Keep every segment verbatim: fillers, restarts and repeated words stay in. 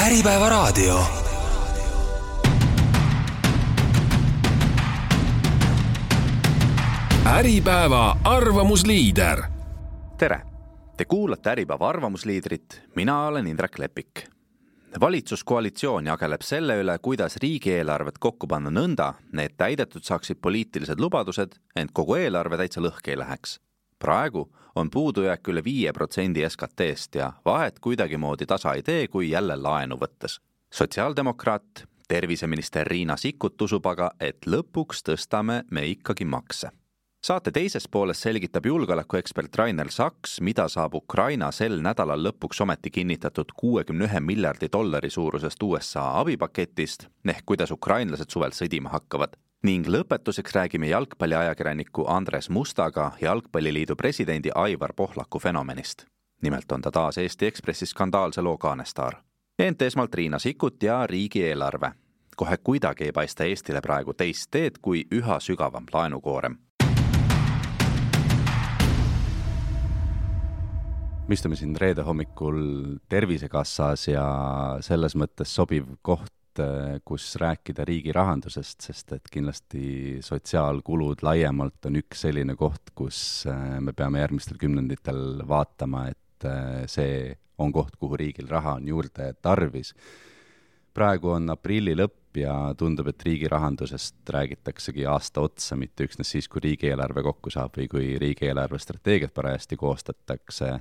Äripäeva raadio. Äripäeva arvamusliider. Tere! Te kuulate Äripäeva arvamusliidrit, mina olen Indrek Lepik. Valitsuskoalitsioon jageleb selle üle, kuidas riigieelarvet kokku panna nõnda, need täidetud saaksid poliitilised lubadused, ent kogu eelarve täitsa lõhki ei läheks. Praegu on puudujääk üle viie protsendi S K T-st ja vahet kuidagimoodi tasa ei tee, kui jälle laenu võttes. Sotsiaaldemokraat, terviseminister Riina Sikkut usub aga, et lõpuks tõstame me ikkagi makse. Saate teises pooles selgitab julgeolekuekspert Rainer Saks, mida saab Ukraina sel nädalal lõpuks ometi kinnitatud kuuekümne ühe miljardi dollari suurusest U S A abipaketist, ehk kuidas ukrainlased suvel sõdima hakkavad. Ning lõpetuseks räägime jalgpalliajakirjaniku Andres Mustaga Jalgpalliliidu presidendi Aivar Pohlaku fenomenist. Nimelt on ta taas Eesti Ekspressi skandaalse loo kaanestaar. Ent esmalt Riina Sikkut ja riigieelarve. Kohe kuidagi ei paista Eestile praegu teist teed kui üha sügavam laenukoorem. Me istume siin reede hommikul Tervisekassas ja selles mõttes sobiv koht, kus rääkida riigi rahandusest, sest et kindlasti sotsiaalkulud laiemalt on üks selline koht, kus me peame järgmistel kümnenditel vaatama, et see on koht, kuhu riigil raha on juurde tarvis. Praegu on aprilli lõpp ja tundub, et riigi rahandusest räägitaksegi aasta otsa, mitte üksnes siis, kui riigieelarve kokku saab või kui riigieelarve strateegiat parajasti koostatakse.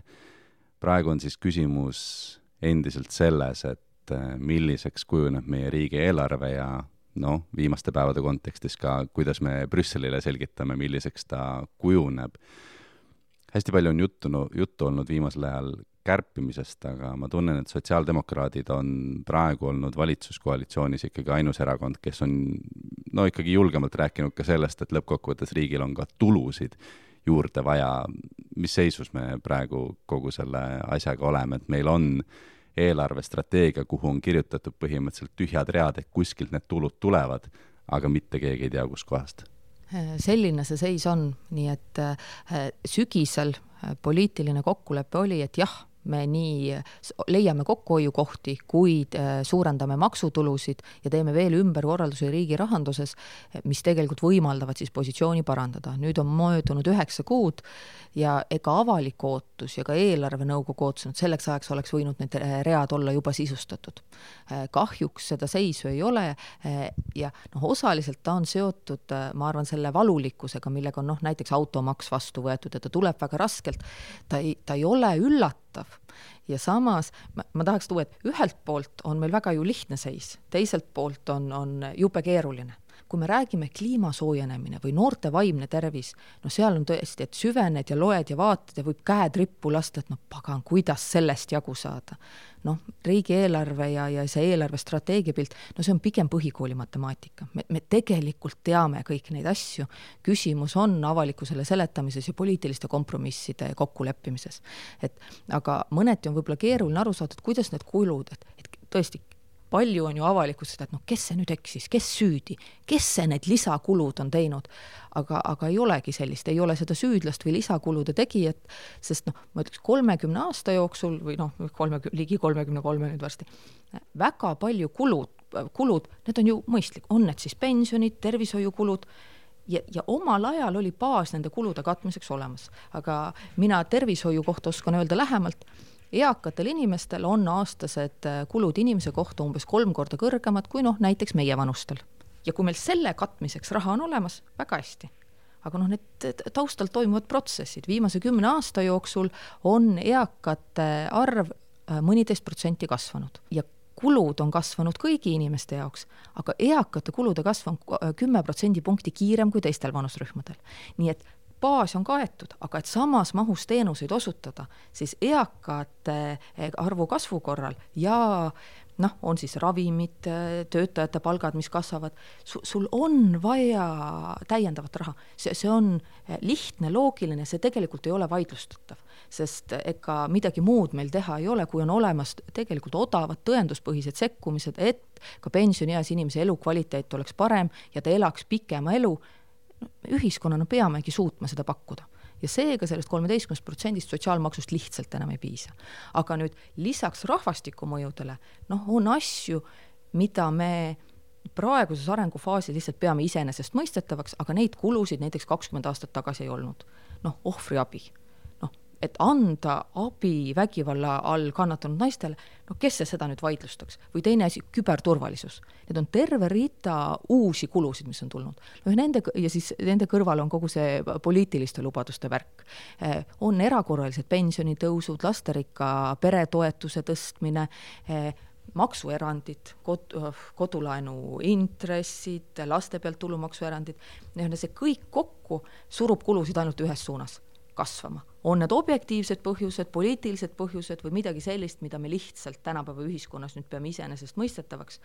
Praegu on siis küsimus endiselt selles, et milliseks kujuneb meie riigieelarve ja no, viimaste päevade kontekstis ka, kuidas me Brüsselile selgitame, milliseks ta kujuneb. Hästi palju on juttu, no, juttu olnud viimasel ajal kärpimisest, aga ma tunnen, et sotsiaaldemokraadid on praegu olnud valitsuskoalitsioonis ikkagi ainus erakond, kes on no, ikkagi julgemalt rääkinud ka sellest, et lõppkokkuvõttes riigil on ka tulusid juurde vaja. Mis seisus me praegu kogu selle asjaga oleme, et meil on eelarvestrateegia, kuhu on kirjutatud põhimõtteliselt tühjad read, et kuskilt need tulud tulevad, aga mitte keegi ei tea, kus kohast. Selline see seis on, nii et sügisel poliitiline kokkulepe oli, et jah, me nii leiame kokkuhoiukohti, kuid suurendame maksutulusid ja teeme veel ümberkorraldusi riigi rahanduses, mis tegelikult võimaldavad siis positsiooni parandada. Nüüd on möödunud üheksa kuud ja ega avalik ootus ja ka eelarvenõukogu ootus, et selleks ajaks oleks võinud need read olla juba sisustatud. Kahjuks seda seisu ei ole ja noh, osaliselt ta on seotud, ma arvan, selle valulikkusega, millega on noh, näiteks automaks vastu võetud ja ta tuleb väga raskelt. Ta ei, ta ei ole üllatav. Ja samas ma, ma tahaks tuua, et ühelt poolt on meil väga ju lihtne seis, teiselt poolt on, on jube keeruline. Kui me räägime kliimasoojenemine või noorte vaimne tervis, no seal on tõesti, et süvened ja loed ja vaatad ja võib käed rippu lasta, et no pagan, kuidas sellest jagu saada. Noh, riigieelarve ja, ja see eelarve strateegiapilt, no see on pigem põhikooli matemaatika. Me, me tegelikult teame kõik neid asju. Küsimus on avalikkusele seletamises ja poliitiliste kompromisside kokkuleppimises. Et, aga mõneti on võib-olla keeruline aru saada, et kuidas need kulud, et, et tõesti palju on ju avalikust, et noh, kes see nüüd eksis, kes süüdi, kes see need lisakulud on teinud, aga, aga ei olegi sellist, ei ole seda süüdlast või lisakulude tegijat, sest noh, ma ütleks kolmekümne aasta jooksul või noh, kolmekümne, ligi kolmekümne kolme nüüd varsti, väga palju kulud, kulud, need on ju mõistlik, on need siis pensionid, tervishoiukulud, Ja, ja omal ajal oli baas nende kulude katmiseks olemas. Aga mina tervishoiu kohta oskan öelda lähemalt, eakatel inimestel on aastased kulud inimese kohta umbes kolm korda kõrgemad kui noh, näiteks meie vanustel. Ja kui meil selle katmiseks raha on olemas, väga hästi. Aga noh, need taustal toimuvad protsessid. Viimase kümne aasta jooksul on eakate arv mõniteist protsenti kasvanud. Ja kulud on kasvanud kõigi inimeste jaoks, aga eakate kulude kasv on kümme protsendi punkti kiirem kui teistel vanusrühmadel. Nii et baas on kaetud, aga et samas mahus teenuseid osutada, siis eakate arvu kasvu korral ja noh, on siis ravimid, töötajate palgad, mis kasvavad, sul on vaja täiendavat raha. See, see on lihtne, loogiline, see tegelikult ei ole vaidlustatav, sest ega midagi muud meil teha ei ole, kui on olemas tegelikult odavad tõenduspõhised sekkumised, et ka pensionieas inimese elukvaliteet oleks parem ja ta elaks pikema elu. Ühiskonnana peamegi suutma seda pakkuda. ja seega sellest kolmeteistkümnest protsendist sotsiaalmaksust lihtsalt enam ei piisa. Aga nüüd lisaks rahvastikumõjudele, noh, on asju, mida me praeguses arengufaasis lihtsalt peame iseenesest mõistetavaks, aga neid kulusid näiteks kakskümmend aastat tagasi ei olnud. Noh, ohvriabi. Noh, et anda abi vägivalla all kannatanud naistele, no kes see seda nüüd vaidlustaks? Või teine asi, küberturvalisus. Need on terve rida uusi kulusid, mis on tulnud. No, nende, ja siis nende kõrval on kogu see poliitiliste lubaduste värk. Eh, on erakorralised pensionitõusud, lasterikka peretoetuse tõstmine, eh, maksuerandid, kod, kodulaenu intressid, laste pealt tulumaksuerandid, see kõik kokku surub kulusid ainult ühes suunas kasvama. On need objektiivsed põhjused, poliitilised põhjused või midagi sellist, mida me lihtsalt tänapäeva ühiskonnas nüüd peame iseenesest mõistetavaks.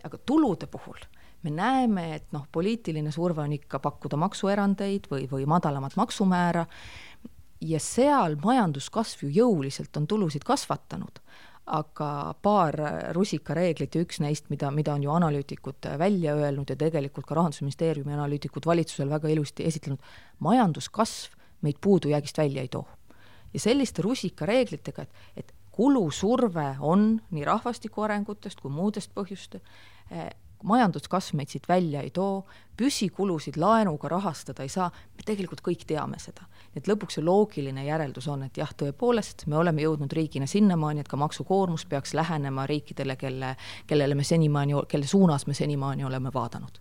Aga tulude puhul me näeme, et noh, poliitiline surve on ikka pakkuda maksuerandeid või, või madalamat maksumäära ja seal majanduskasv ju jõuliselt on tulusid kasvatanud. Aga paar rusikareeglit ja üks neist, mida, mida on ju analüütikud välja öelnud ja tegelikult ka Rahandusministeeriumi analüütikud valitsusel väga ilusti esitlenud, majanduskasv meid puudujäägist välja ei too. Ja selliste rusikareeglitega, et, et kulusurve on nii rahvastiku arengutest kui muudest põhjuste, eh, majanduskasv meid siit välja ei too, püsikulusid laenuga rahastada ei saa, me tegelikult kõik teame seda. Et lõpuks see loogiline järeldus on, et jah, tõepoolest, me oleme jõudnud riigina sinnamaani, et ka maksukoormus peaks lähenema riikidele, kelle, kellele me senimaani, kelle suunas me senimaani oleme vaadanud.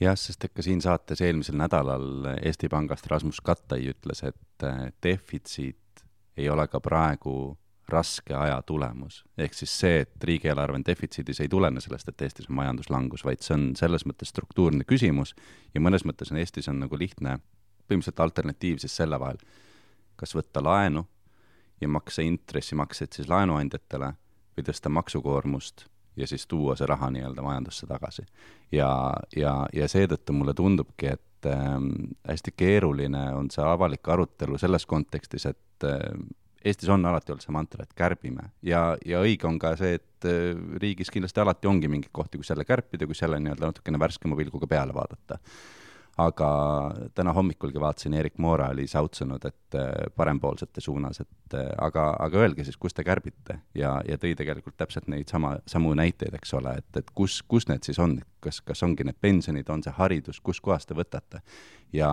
Jah, sest ikka siin saates eelmisel nädalal Eesti Pangast Rasmus Kattai ütles, et defitsiit ei ole ka praegu raske aja tulemus. Ehk siis see, et riigieelarve defitsiidis ei tulene sellest, et Eestis on majanduslangus, vaid see on selles mõttes struktuurne küsimus ja mõnes mõttes on Eestis on nagu lihtne põhimõtteliselt alternatiiv siis selle vahel, kas võtta laenu ja maksa intressimakseid siis laenuandjatele või tõsta maksukoormust ja siis tuua see raha nii-öelda majandusse tagasi. Ja, ja, ja seetõttu mulle tundubki, et äh, hästi keeruline on see avalik arutelu selles kontekstis, et äh, Eestis on alati olnud see mantra, et kärbime ja, ja õige on ka see, et riigis kindlasti alati ongi mingi kohti, kus jälle kärpida, kus jälle nii-öelda natukene värskema pilguga peale vaadata. Aga täna hommikulgi vaatasin, Erik Moora oli sautsunud, et parempoolsete suunas, et aga, aga öelge siis, kus te kärbite ja, ja tõi tegelikult täpselt neid sama, samu näiteid, eks ole, et, et kus, kus need siis on, kas, kas ongi need pensionid, on see haridus, kus kohast te võtate. Ja,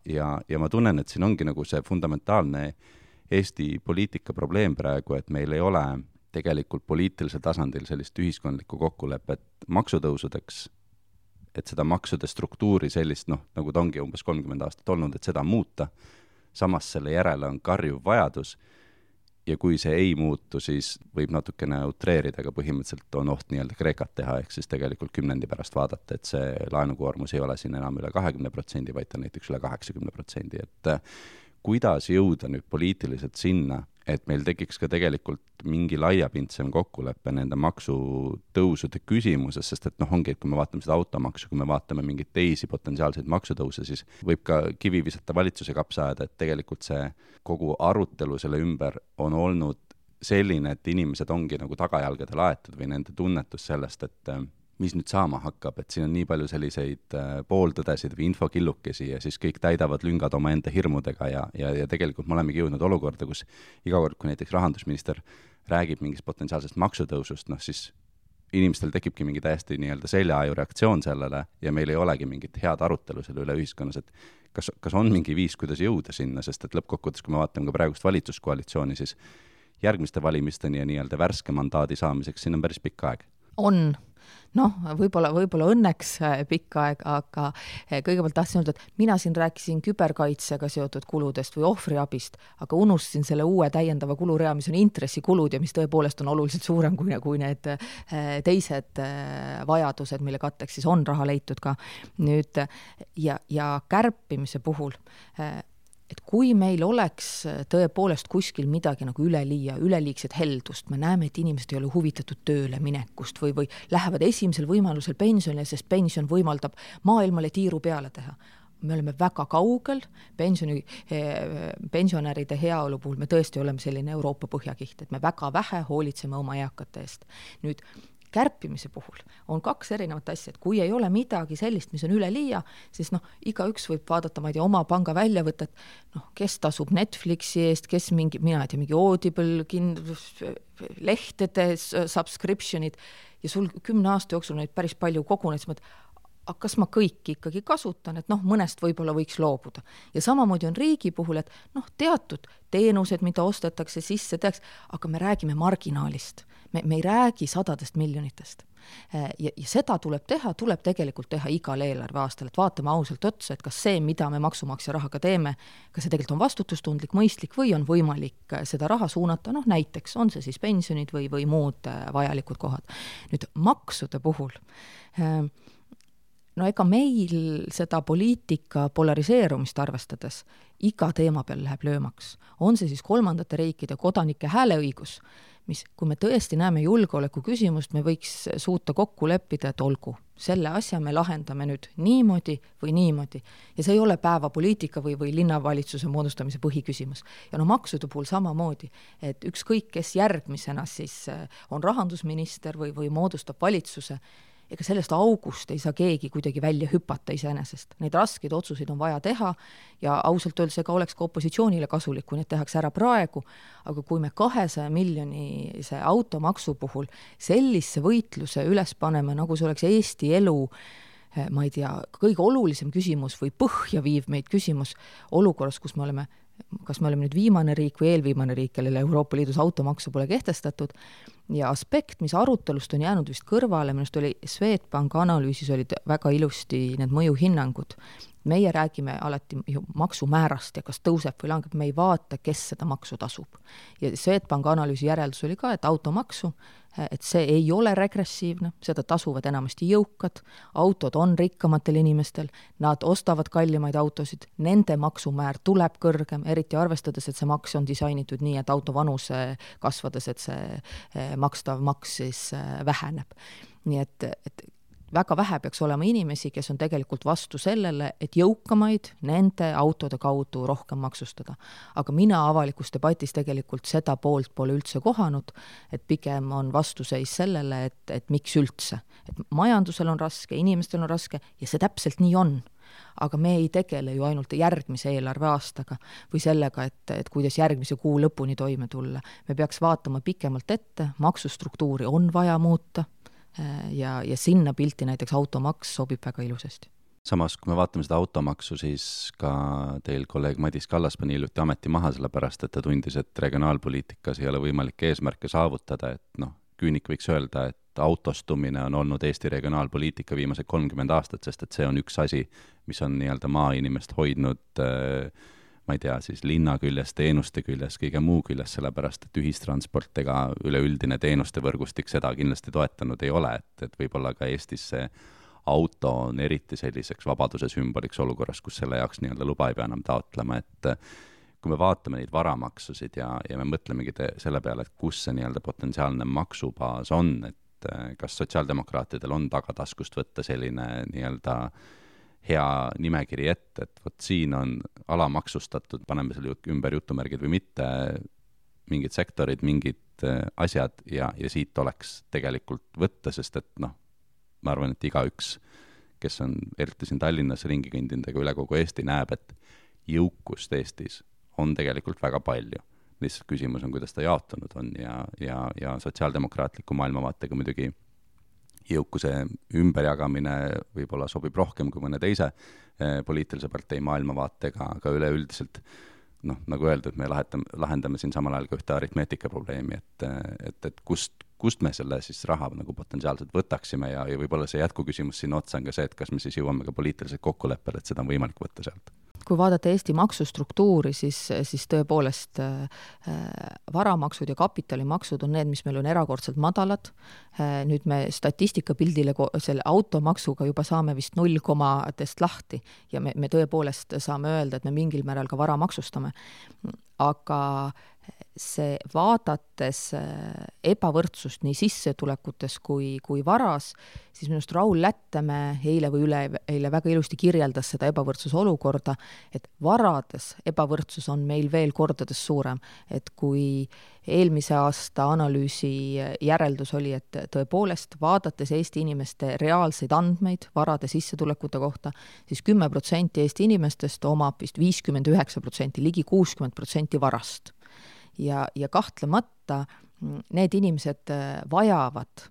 ja, ja ma tunnen, et siin ongi nagu see fundamentaalne Eesti poliitika probleem praegu, et meil ei ole tegelikult poliitilisel tasandil sellist ühiskondlikku kokkulepet maksutõusudeks, et seda maksude struktuuri sellist, noh, nagu ta ongi umbes kolmkümmend aastat olnud, et seda muuta. Samas selle järele on karjuv vajadus ja kui see ei muutu, siis võib natukene utreerida, aga põhimõtteliselt on oht nii-öelda Kreekat teha, ehk siis tegelikult kümnendi pärast vaadata, et see laenukoormus ei ole siin enam üle kahekümne protsendi, vaid ta näiteks üle kaheksakümne protsendi, et kuidas jõuda nüüd poliitiliselt sinna, et meil tekiks ka tegelikult mingi laiapindsem kokkulepe nende maksutõusude küsimuses, sest et noh, ongi, et kui me vaatame seda automaksu, kui me vaatame mingeid teisi potentsiaalseid maksutõuse, siis võib ka kivi visata valitsuse kapsa ajada, et tegelikult see kogu arutelu selle ümber on olnud selline, et inimesed ongi nagu tagajalgadel aetud või nende tunnetus sellest, et mis nüüd saama hakkab, et siin on nii palju selliseid pooltõdesid või infokillukesi ja siis kõik täidavad lüngad oma enda hirmudega ja, ja, ja tegelikult me olemegi jõudnud olukorda, kus iga kord, kui näiteks rahandusminister räägib mingist potentsiaalsest maksutõusust, noh siis inimestel tekibki mingi täiesti nii-öelda seljaaju reaktsioon sellele ja meil ei olegi mingit head arutelu selle üle ühiskonnas, et kas, kas on mingi viis, kuidas jõuda sinna, sest et lõppkokkuvõttes, kui me vaatame ka praegust valitsuskoalitsiooni, siis järgmiste valimisteni ja nii-öelda värske mandaadi saamiseks siin on päris pikk aeg. On. Noh, võib-olla, võib-olla õnneks pikk aeg, aga kõigepealt tahtsin öelda, et mina siin rääkisin küberkaitsega seotud kuludest või ohvriabist, aga unustasin selle uue täiendava kulurea, mis on intressikulud ja mis tõepoolest on oluliselt suurem kui, kui need teised vajadused, mille katteks siis on raha leitud ka. Nüüd, ja, ja kärpimise puhul et kui meil oleks tõepoolest kuskil midagi nagu üleliia, üleliigset heldust, me näeme, et inimesed ei ole huvitatud tööle minekust või, või lähevad esimesel võimalusel pensionile, sest pension võimaldab maailmale tiiru peale teha. Me oleme väga kaugel, pensioni, pensionäride heaolu puhul me tõesti oleme selline Euroopa põhjakiht, et me väga vähe hoolitseme oma eakate eest. Nüüd, kärpimise puhul on kaks erinevat asja, et kui ei ole midagi sellist, mis on üleliia, siis noh, igaüks võib vaadata, ma ei tea, oma panga väljavõtet, noh, kes tasub Netflixi eest, kes mingi, mina ei tea, mingi Audible, kin-, lehtede subscriptionid ja sul kümne aasta jooksul neid päris palju koguneid, siis aga kas ma kõiki ikkagi kasutan, et noh, mõnest võib-olla võiks loobuda. Ja samamoodi on riigi puhul, et noh, teatud teenused, mida ostetakse sisse, teaks, aga me räägime marginaalist. Me, me ei räägi sadadest miljonitest. Ja, ja seda tuleb teha, tuleb tegelikult teha igal eelarve aastal, et vaatame ausalt otsa, et kas see, mida me maksumaksja rahaga teeme, kas see tegelikult on vastutustundlik, mõistlik või on võimalik seda raha suunata, noh näiteks on see siis pensionid või, või muud vajalikud kohad. Nüüd maksude puhul no ega meil seda poliitika polariseerumist arvestades iga teema peal läheb löömaks. On see siis kolmandate riikide kodanike hääleõigus, mis, kui me tõesti näeme julgeoleku küsimust, me võiks suuta kokku leppida, et olgu, selle asja me lahendame nüüd niimoodi või niimoodi. Ja see ei ole päevapoliitika või, või linnavalitsuse moodustamise põhiküsimus. Ja no maksude puhul samamoodi, et ükskõik, kes järgmisena siis on rahandusminister või, või moodustab valitsuse, ega sellest august ei saa keegi kuidagi välja hüpata iseenesest. Neid raskeid otsuseid on vaja teha ja ausalt öeldes ega oleks ka opositsioonile kasulik, kui need tehakse ära praegu, aga kui me kahesaja miljonise automaksu puhul sellise võitluse üles paneme, nagu see oleks Eesti elu, ma ei tea, kõige olulisem küsimus või põhja viiv meid küsimus olukorras, kus me oleme kas me oleme nüüd viimane riik või eelviimane riik, kellele Euroopa Liidus automaksu pole kehtestatud ja aspekt, mis arutelust on jäänud vist kõrvale, minust oli Swedbank analüüsis olid väga ilusti need mõjuhinnangud. Meie räägime alati ju maksumäärast ja kas tõuseb või langeb, me ei vaata, kes seda maksu tasub. Ja Swedbank analüüsi järeldus oli ka, et automaksu, et see ei ole regressiivne, seda tasuvad enamasti jõukad, autod on rikkamatel inimestel, nad ostavad kallimaid autosid, nende maksumäär tuleb kõrgem, eriti arvestades, et see maks on disainitud nii, et auto vanuse kasvades, et see makstav maks siis väheneb. Nii et, et väga vähe peaks olema inimesi, kes on tegelikult vastu sellele, et jõukamaid nende autode kaudu rohkem maksustada. Aga mina avalikus debatis tegelikult seda poolt pole üldse kohanud, et pigem on vastuseis sellele, et, et miks üldse. Et majandusel on raske, inimestel on raske ja see täpselt nii on. Aga me ei tegele ju ainult järgmise eelarve aastaga või sellega, et, et kuidas järgmise kuu lõpuni toime tulla. Me peaks vaatama pikemalt ette, maksustruktuuri on vaja muuta, ja, ja sinna pilti näiteks automaks sobib väga ilusasti. Samas, kui me vaatame seda automaksu, siis ka teil kolleeg Madis Kallas pani hiljuti ameti maha selle pärast, et ta tundis, et regionaalpoliitikas ei ole võimalik eesmärke saavutada, et noh, küünik võiks öelda, et autostumine on olnud Eesti regionaalpoliitika viimased kolmkümmend aastat, sest et see on üks asi, mis on nii-öelda maainimest hoidnud ma ei tea, siis linna küljes, teenuste küljes, kõige muu küljes, sellepärast, et ühistransport ega üleüldine teenuste võrgustik seda kindlasti toetanud ei ole, et, et võib-olla ka Eestis see auto on eriti selliseks vabaduse sümboliks olukorras, kus selle jaoks nii-öelda luba ei pea enam taotlema, et kui me vaatame neid varamaksusid ja, ja me mõtlemegi te, selle peale, et kus see nii-öelda potentsiaalne maksubaas on, et kas sotsiaaldemokraatidel on tagataskust võtta selline nii-öelda hea nimekiri ette, et võt siin on alamaksustatud, paneme selle ümber jutumärgid või mitte, mingid sektorid, mingid asjad ja, ja siit oleks tegelikult võtta, sest et noh, ma arvan, et igaüks, kes on eriti siin Tallinnas ringi kõndindega üle kogu Eesti, näeb, et jõukust Eestis on tegelikult väga palju. Lihtsalt küsimus on, kuidas ta jaotunud on ja, ja, ja sotsiaaldemokraatliku maailmavaatega muidugi jõukuse ümberjagamine võib-olla sobib rohkem kui mõne teise eh, poliitilise partei maailmavaatega, aga üleüldiselt, noh, nagu öeldud, me lahendame, lahendame siin samal ajal ka ühte aritmeetika probleemi, et, et, et kust, kust me selle siis raha nagu potentsiaalselt võtaksime ja, ja võib-olla see jätkuküsimus siin otsa on ka see, et kas me siis jõuame ka poliitiliselt kokkuleppele, et seda on võimalik võtta sealt. Kui vaadata Eesti maksustruktuuri, siis, siis tõepoolest äh, varamaksud ja kapitalimaksud on need, mis meil on erakordselt madalad. Äh, nüüd me statistikapildile selle automaksuga juba saame vist null komadest lahti ja me, me tõepoolest saame öelda, et me mingil määral ka vara maksustame. Aga see vaadates ebavõrdsust nii sissetulekutes kui, kui varas, siis minust Raul Lättemäe eile või üle eile väga ilusti kirjeldas seda ebavõrdsuse olukorda, et varades ebavõrdsus on meil veel kordades suurem, et kui eelmise aasta analüüsi järeldus oli, et tõepoolest vaadates Eesti inimeste reaalseid andmeid varade sissetulekute kohta, siis kümme protsenti Eesti inimestest omab vist viiskümmend üheksa protsenti, ligi kuuskümmend protsenti varast. Ja, ja kahtlemata need inimesed vajavad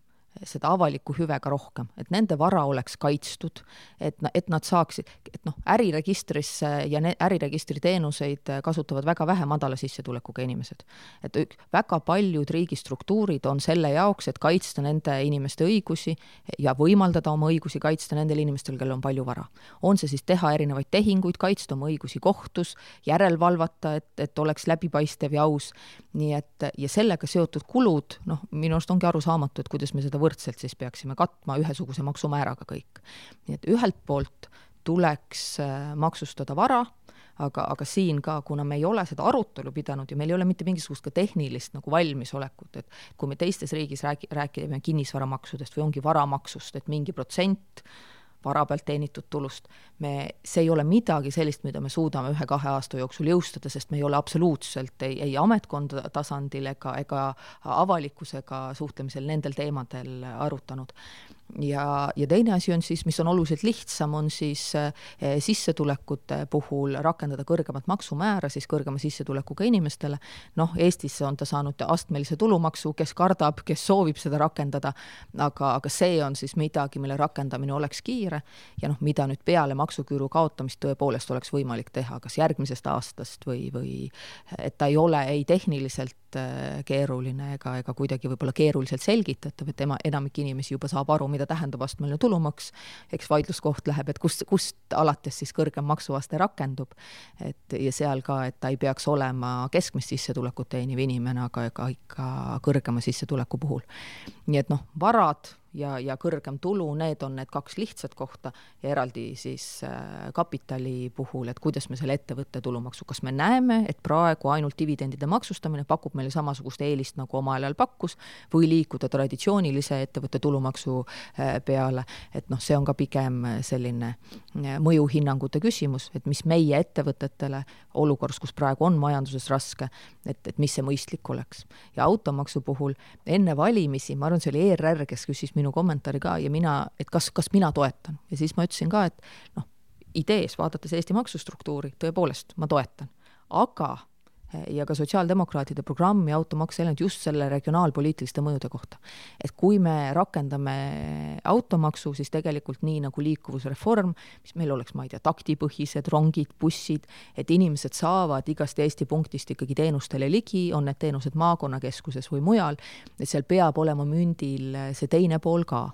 seda avaliku hüvega rohkem, et nende vara oleks kaitstud, et, et nad saaksid, et noh, äriregistrisse ja ne, äriregistri teenuseid kasutavad väga vähe madala sissetulekuga inimesed. Et väga paljud riigistruktuurid on selle jaoks, et kaitsta nende inimeste õigusi ja võimaldada oma õigusi kaitsta nendel inimestel, kellel on palju vara. On see siis teha erinevaid tehinguid, kaitsta oma õigusi kohtus, järelvalvata, et, et oleks läbipaistev ja aus. Nii et, ja sellega seotud kulud, noh, minu arust ongi arusaamatu, et kuidas me seda võrdselt siis peaksime katma ühesuguse maksumääraga kõik. Nii et ühelt poolt tuleks maksustada vara, aga, aga siin ka, kuna me ei ole seda arutelu pidanud ja meil ei ole mitte mingisugust ka tehnilist nagu valmisolekut, et kui me teistes riigis räägi, räägime kinnisvaramaksudest või ongi varamaksust, et mingi protsent vara pealt teenitud tulust, me, see ei ole midagi sellist, mida me suudame ühe-kahe aasta jooksul jõustada, sest me ei ole absoluutselt ei, ei ametkonda tasandil ega, ega avalikkusega suhtlemisel nendel teemadel arutanud. Ja, ja teine asi on siis, mis on oluliselt lihtsam, on siis eh, sissetulekute puhul rakendada kõrgemat maksumäära siis kõrgema sissetulekuga inimestele. Noh, Eestis on ta saanud astmelise tulumaksu, kes kardab, kes soovib seda rakendada, aga, aga see on siis midagi, mille rakendamine oleks kiire ja noh, mida nüüd peale maksuküüru kaotamist tõepoolest oleks võimalik teha, kas järgmisest aastast või, või et ta ei ole ei tehniliselt keeruline ega, ega kuidagi võib-olla keeruliselt selgitatav, et tema, enamik inimesi juba saab aru, mida tähendab astmeline tulumaks, eks vaidluskoht läheb, et kust, kust alates siis kõrgem maksuaste rakendub, et ja seal ka, et ta ei peaks olema keskmist sissetulekut teeniv inimene, aga ega ikka kõrgema sissetuleku puhul. Nii et noh, varad ja, ja kõrgem tulu, need on need kaks lihtsat kohta ja eraldi siis äh, kapitali puhul, et kuidas me selle ettevõtte tulumaksu, kas me näeme, et praegu ainult dividendide maksustamine pakub meile samasugust eelist nagu oma ajal pakkus või liikuda traditsioonilise ettevõtte tulumaksu äh, peale, et noh, see on ka pigem selline äh, mõjuhinnangute küsimus, et mis meie ettevõtetele olukorras, kus praegu on majanduses raske, et, et mis see mõistlik oleks. Ja automaksu puhul enne valimisi, ma arvan, see oli E R R, kes küsis minu kommentaari ka ja mina, et kas, kas mina toetan. Ja siis ma ütlesin ka, et noh, idees vaadates Eesti maksustruktuuri, tõepoolest ma toetan. Aga ja ka sotsiaaldemokraatide programmi automaks elanud just selle regionaalpoliitiliste mõjude kohta. Et kui me rakendame automaksu, siis tegelikult nii nagu liikuvusreform, mis meil oleks, ma ei tea, taktipõhised, rongid, bussid, et inimesed saavad igast Eesti punktist ikkagi teenustele ligi, on need teenused maakonnakeskuses või mujal, et seal peab olema mündil see teine pool ka.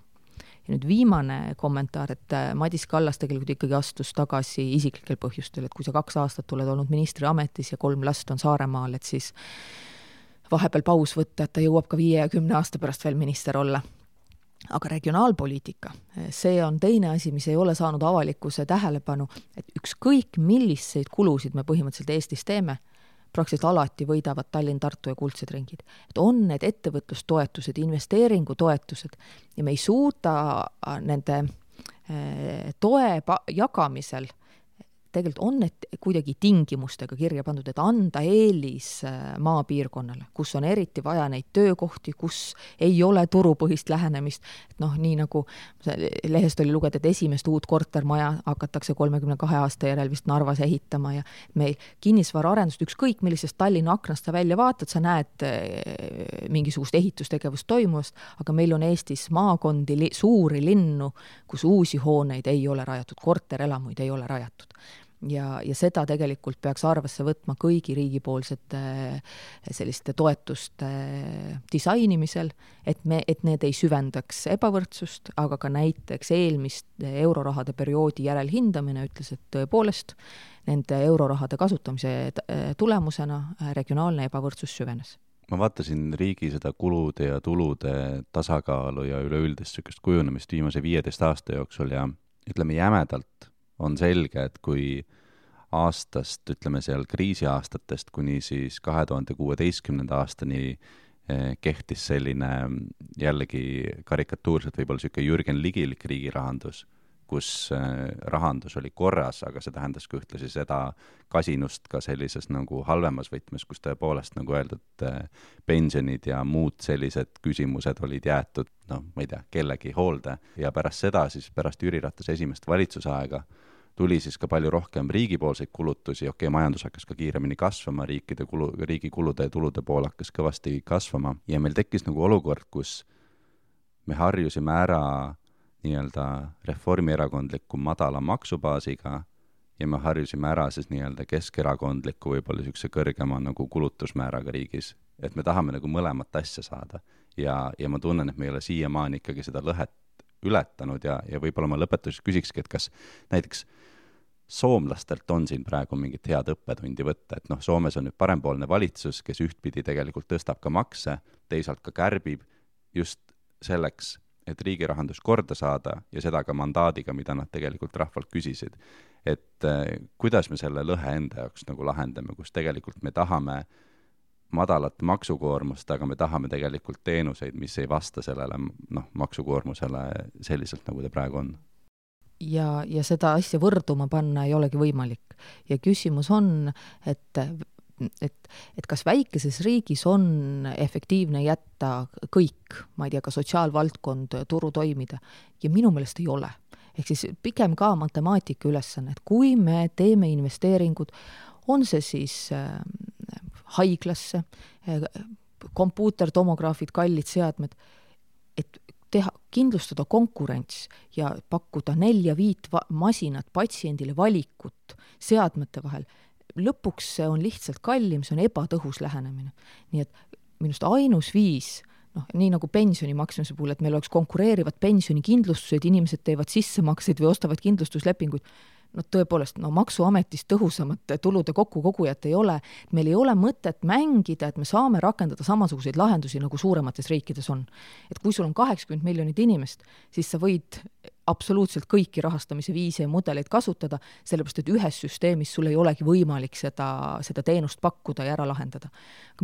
Ja nüüd viimane kommentaar, et Madis Kallas tegelikult ikkagi astus tagasi isiklikel põhjustel, et kui sa kaks aastat oled olnud ministri ametis ja kolm last on Saaremaal, et siis vahepeal paus võtta, et ta jõuab ka viie ja kümne aasta pärast veel minister olla. Aga regionaalpoliitika, see on teine asi, mis ei ole saanud avalikkuse tähelepanu, et ükskõik milliseid kulusid me põhimõtteliselt Eestis teeme, praktiliselt alati võidavad Tallinn, Tartu ja kuldsed ringid. Et on need ettevõtlustoetused, investeeringutoetused ja me ei suuda nende toe jagamisel, tegelikult on need kuidagi tingimustega kirja pandud, et anda eelis maapiirkonnale, kus on eriti vaja neid töökohti, kus ei ole turupõhist lähenemist. Et noh, nii nagu lehest oli lugeda, et esimest uut kortermaja hakatakse kolmekümne kahe aasta järel vist Narvas ehitama ja meil kinnisvara arendust ükskõik millisest Tallinna aknast sa välja vaatad, sa näed mingisugust ehitustegevust toimuvast, aga meil on Eestis maakondi, suuri linnu, kus uusi hooneid ei ole rajatud, korterelamuid ei ole rajatud. Ja, ja seda tegelikult peaks arvesse võtma kõigi riigipoolsete selliste toetuste disainimisel, et, me, et need ei süvendaks ebavõrdsust, aga ka näiteks eelmist eurorahade perioodi järelhindamine ütles, et tõepoolest nende eurorahade kasutamise tulemusena regionaalne ebavõrdsus süvenes. Ma vaatasin riigi seda kulude ja tulude tasakaalu ja üleüldist kujunemist viimase viieteist aasta jooksul ja ütleme jämedalt on selge, et kui aastast, ütleme seal kriisiaastatest kuni siis kahe tuhande kuueteistkümnenda aastani kehtis selline jällegi karikatuurselt võib-olla siuke Jürgen Ligilik riigirahandus, kus rahandus oli korras, aga see tähendas ka ühtlasi seda kasinust ka sellises nagu halvemas võtmes, kus tõepoolest nagu öeldud pensionid ja muud sellised küsimused olid jäetud, noh, ma ei tea, kellegi hoolde. Ja pärast seda, siis pärast Jüri Ratase esimest valitsusaega tuli siis ka palju rohkem riigipoolseid kulutusi, okei, okay, majandus hakkas ka kiiremini kasvama, riikide kulu, riigi kulude ja tulude pool hakkas kõvasti kasvama ja meil tekkis nagu olukord, kus me harjusime ära nii-öelda reformierakondliku madala maksubaasiga ja me harjusime ära siis nii-öelda keskerakondliku võib-olla niisuguse kõrgema nagu kulutusmääraga riigis, et me tahame nagu mõlemat asja saada ja, ja ma tunnen, et me ei ole siiamaani ikkagi seda lõhet ületanud ja, ja võib-olla ma lõpetuseks küsikski, et kas näiteks soomlastelt on siin praegu mingit head õppetundi võtta, et noh, Soomes on nüüd parempoolne valitsus, kes ühtpidi tegelikult tõstab ka makse, teisalt ka kärbib just selleks, et riigi rahandus korda saada ja seda ka mandaadiga, mida nad tegelikult rahvalt küsisid. Et eh, kuidas me selle lõhe enda jaoks nagu lahendame, kus tegelikult me tahame madalat maksukoormust, aga me tahame tegelikult teenuseid, mis ei vasta sellele noh, maksukoormusele selliselt, nagu ta praegu on. Ja, ja seda asja võrduma panna ei olegi võimalik. Ja küsimus on, et et, et kas väikeses riigis on efektiivne jätta kõik, ma ei tea, ka sotsiaalvaldkond, turu toimida, ja minu meelest ei ole. Ehk siis pigem ka matemaatika ülesanne, et kui me teeme investeeringud, on see siis äh, haiglasse, äh, kompuutertomograafid, kallid seadmed, et teha, kindlustada konkurents ja pakkuda nelja viit va- masinat patsiendile valikut seadmete vahel, lõpuks see on lihtsalt kallim, see on ebatõhus lähenemine. Nii et minust ainus viis, noh, nii nagu pensioni maksmise puhul, et meil oleks konkureerivad pensionikindlustused, inimesed teevad sissemakseid või ostavad kindlustuslepinguid, no tõepoolest, no maksuametist tõhusamate tulude kokkukogujat ei ole. Meil ei ole mõtet mängida, et me saame rakendada samasuguseid lahendusi, nagu suuremates riikides on. Et kui sul on kaheksakümmend miljonit inimest, siis sa võid absoluutselt kõiki rahastamise viise ja mudeleid kasutada, sellepärast, et ühes süsteemis sul ei olegi võimalik seda, seda teenust pakkuda ja ära lahendada.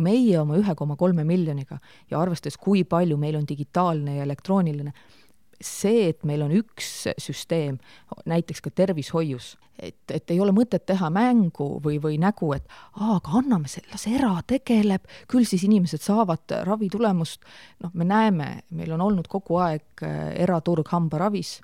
Meie oma ühe koma kolme miljoniga ja arvestades, kui palju meil on digitaalne ja elektrooniline, see, et meil on üks süsteem, näiteks ka tervishoius, et, et ei ole mõtet teha mängu või, või nägu, et aa, aga anname selle, las era tegeleb, küll siis inimesed saavad ravi tulemust. Noh, me näeme, meil on olnud kogu aeg eraturg hambaravis,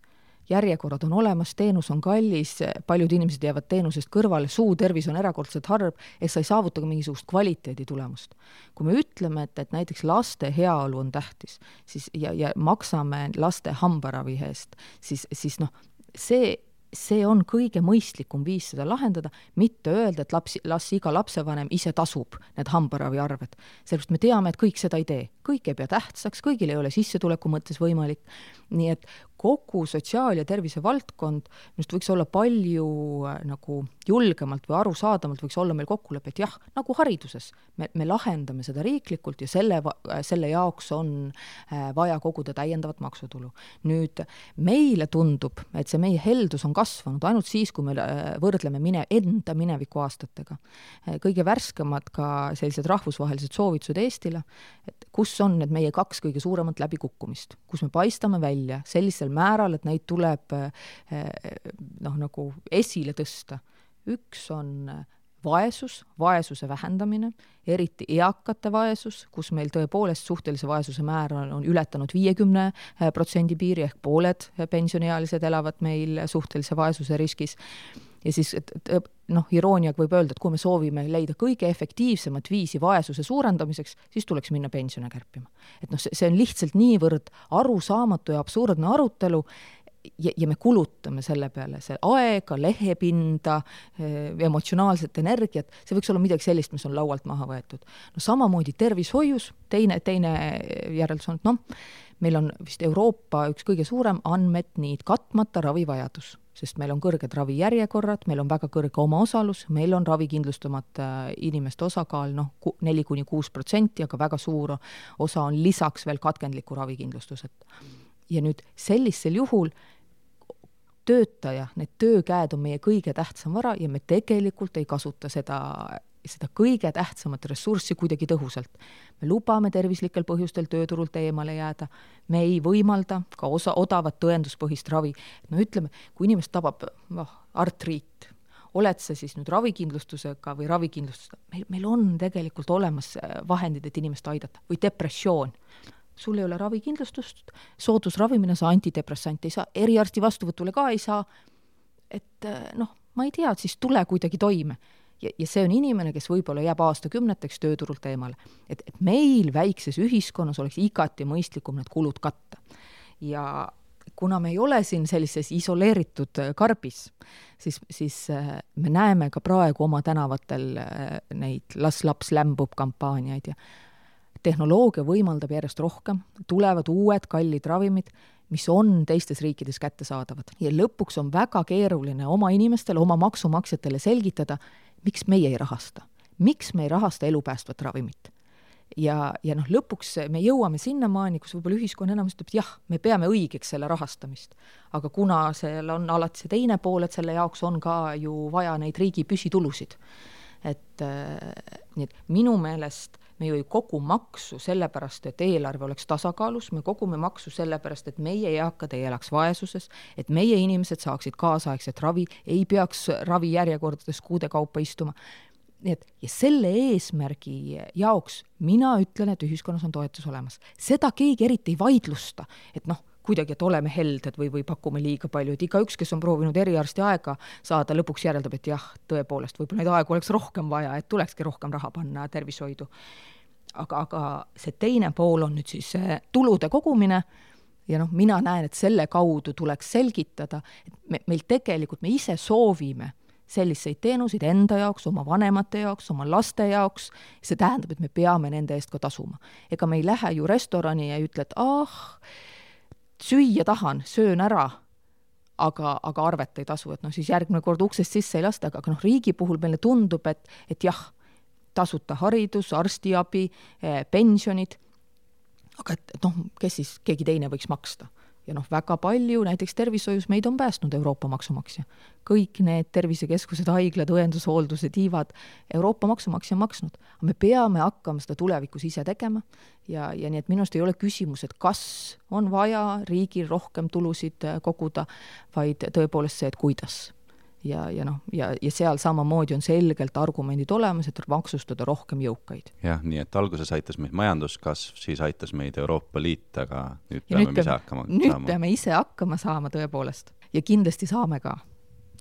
järjekorrad on olemas, teenus on kallis, paljud inimesed jäävad teenusest kõrvale, suu tervis on erakordselt harv, et sa ei saavuta ka mingisugust kvaliteedi tulemust. Kui me ütleme, et, et näiteks laste heaolu on tähtis, siis, ja, ja maksame laste hambaravi eest, siis, siis noh, see see on kõige mõistlikum viis seda lahendada, mitte öelda, et lapsi, las iga lapsevanem ise tasub need hambaravi arved. Sellepärast me teame, et kõik seda ei tee. Kõik ei pea tähtsaks, kõigil ei ole sissetuleku mõttes võimalik. Nii et kogu sotsiaal- ja tervise valdkond minust võiks olla palju nagu julgemalt või arusaadamalt võiks olla meil kokkulepe, et jah, nagu hariduses. Me, me lahendame seda riiklikult ja selle, selle jaoks on vaja koguda täiendavat maksutulu. Nüüd meile tundub, et see meie heldus on kasvanud ainult siis, kui me võrdleme mine, enda mineviku aastatega. Kõige värskemad ka sellised rahvusvahelised soovitused Eestile, et kus on need meie kaks kõige suuremat läbikukkumist, kus me paistame välja sellisel määral, et neid tuleb noh, nagu esile tõsta. Üks on vaesus, vaesuse vähendamine, eriti eakate vaesus, kus meil tõepoolest suhtelise vaesuse määr on, on ületanud viiekümne protsendi piiri, ehk pooled pensioniealised elavad meil suhtelise vaesuse riskis. Ja siis noh, irooniaga võib öelda, et kui me soovime leida kõige efektiivsemat viisi vaesuse suurendamiseks, siis tuleks minna pensione kärpima. Et noh, see on lihtsalt niivõrd arusaamatu ja absurdne arutelu, ja, ja me kulutame selle peale see aega, lehepinda, emotsionaalset energiat, see võiks olla midagi sellist, mis on laualt maha võetud. No samamoodi tervishoius, teine, teine järeldus on, et noh, meil on vist Euroopa üks kõige suurem andmed nii katmata ravivajadus, sest meil on kõrged ravijärjekorrad, meil on väga kõrge omaosalus, meil on ravikindlustamata inimeste osakaal noh, neli kuni kuus protsenti, aga väga suur osa on lisaks veel katkendliku ravikindlustused. Ja nüüd sellisel juhul töötaja, need töökäed on meie kõige tähtsam vara ja me tegelikult ei kasuta seda, seda kõige tähtsamat ressurssi kuidagi tõhusalt. Me lubame tervislikel põhjustel tööturult eemale jääda, me ei võimalda ka osa odavat tõenduspõhist ravi. No ütleme, kui inimest tabab oh, artriit, oled sa siis nüüd ravikindlustusega või ravikindlustusega, meil, meil on tegelikult olemas vahendid, et inimest aidata, või depressioon. Sul ei ole ravikindlustust, soodusravimine, sa antidepressant ei saa, eriarsti vastuvõtule ka ei saa, et noh, ma ei tea, siis tule kuidagi toime. Ja, ja see on inimene, kes võib-olla jääb aastakümneteks tööturult eemale. Et, et meil väikses ühiskonnas oleks igati mõistlikum need kulud katta. Ja kuna me ei ole siin sellises isoleeritud karbis, siis, siis me näeme ka praegu oma tänavatel neid las laps lämbub kampaaniaid ja tehnoloogia võimaldab järjest rohkem, tulevad uued kallid ravimid, mis on teistes riikides kättesaadavad. Ja lõpuks on väga keeruline oma inimestele, oma maksumaksjatele selgitada, miks meie ei rahasta. Miks me ei rahasta elupäästvat ravimit. Ja, ja noh, lõpuks me jõuame sinnamaani, kus võib-olla ühiskonna enamus ütleb, et jah, me peame õigeks selle rahastamist. Aga kuna seal on alati see teine pool, et selle jaoks on ka ju vaja neid riigi püsitulusid. Et, nii et minu meelest me ju ei kogu maksu sellepärast, et eelarve oleks tasakaalus, me kogume maksu sellepärast, et meie eakad ei elaks vaesuses, et meie inimesed saaksid kaasaegset ravi, ei peaks ravi järjekordades kuude kaupa istuma. Nii et, ja selle eesmärgi jaoks mina ütlen, et ühiskonnas on toetus olemas. Seda keegi eriti ei vaidlusta, et noh, kuidagi, et oleme helded või, või pakume liiga palju, et iga üks, kes on proovinud eriarsti aega saada, lõpuks järeldab, et jah, tõepoolest, võib-olla neid aegu oleks rohkem vaja, et tulekski rohkem raha panna tervishoidu. Aga, aga see teine pool on nüüd siis tulude kogumine ja noh, mina näen, et selle kaudu tuleks selgitada, et me, meil tegelikult me ise soovime selliseid teenuseid enda jaoks, oma vanemate jaoks, oma laste jaoks. See tähendab, et me peame nende eest ka tasuma. Ega me ei lähe ju restorani ja ütle, et ah, süüa tahan, söön ära, aga, aga arvet ei tasu, et noh, siis järgmine kord uksest sisse ei lasta, aga noh, riigi puhul meile tundub, et, et jah, tasuta haridus, arstiabi, pensionid, aga et, et noh, kes siis keegi teine võiks maksta. Ja noh, väga palju, näiteks tervishoius meid on päästnud Euroopa maksumaksja. Kõik need tervisekeskused, haiglad, õendushooldused, tiivad, Euroopa maksumaksja on maksnud. Me peame hakkama seda tulevikus ise tegema ja, ja nii, et minust ei ole küsimus, et kas on vaja riigil rohkem tulusid koguda, vaid tõepoolest see, et kuidas. Ja, ja, no, ja, ja seal samamoodi on selgelt argumendid olemas, et maksustada rohkem jõukaid. Jah, nii et alguses aitas meid majanduskasv, siis aitas meid Euroopa Liit, aga nüüd peame nüüd ise hakkama nüüd saama. peame ise hakkama saama tõepoolest ja kindlasti saame ka.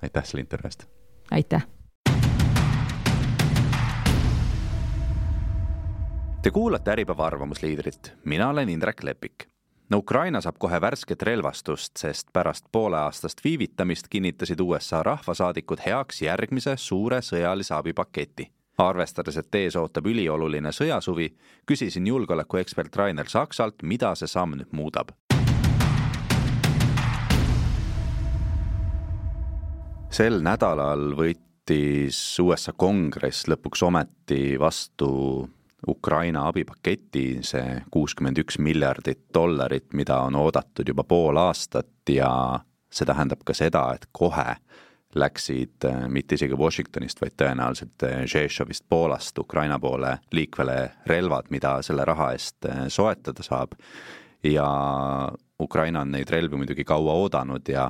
Aitäh selle intervjuust. Aitäh. Te kuulate Äripäeva arvamusliidrit. Mina olen Indrek Lepik. No Ukraina saab kohe värsket relvastust, sest pärast poole aastast viivitamist kinnitasid U S A rahvasaadikud heaks järgmise suure sõjalise abipaketi. Arvestades, et ees ootab ülioluline sõjasuvi, küsisin julgeolekuekspert Rainer Saksalt, mida see samm nüüd muudab. Sel nädalal võttis U S A kongress lõpuks ometi vastu Ukraina abipaketi, see kuuskümmend üks miljardit dollarit, mida on oodatud juba pool aastat ja see tähendab ka seda, et kohe läksid mitte isegi Washingtonist, vaid tõenäoliselt Žešovist Poolast Ukraina poole liikvele relvad, mida selle raha eest soetada saab. Ja Ukraina on neid relvi muidugi kaua oodanud ja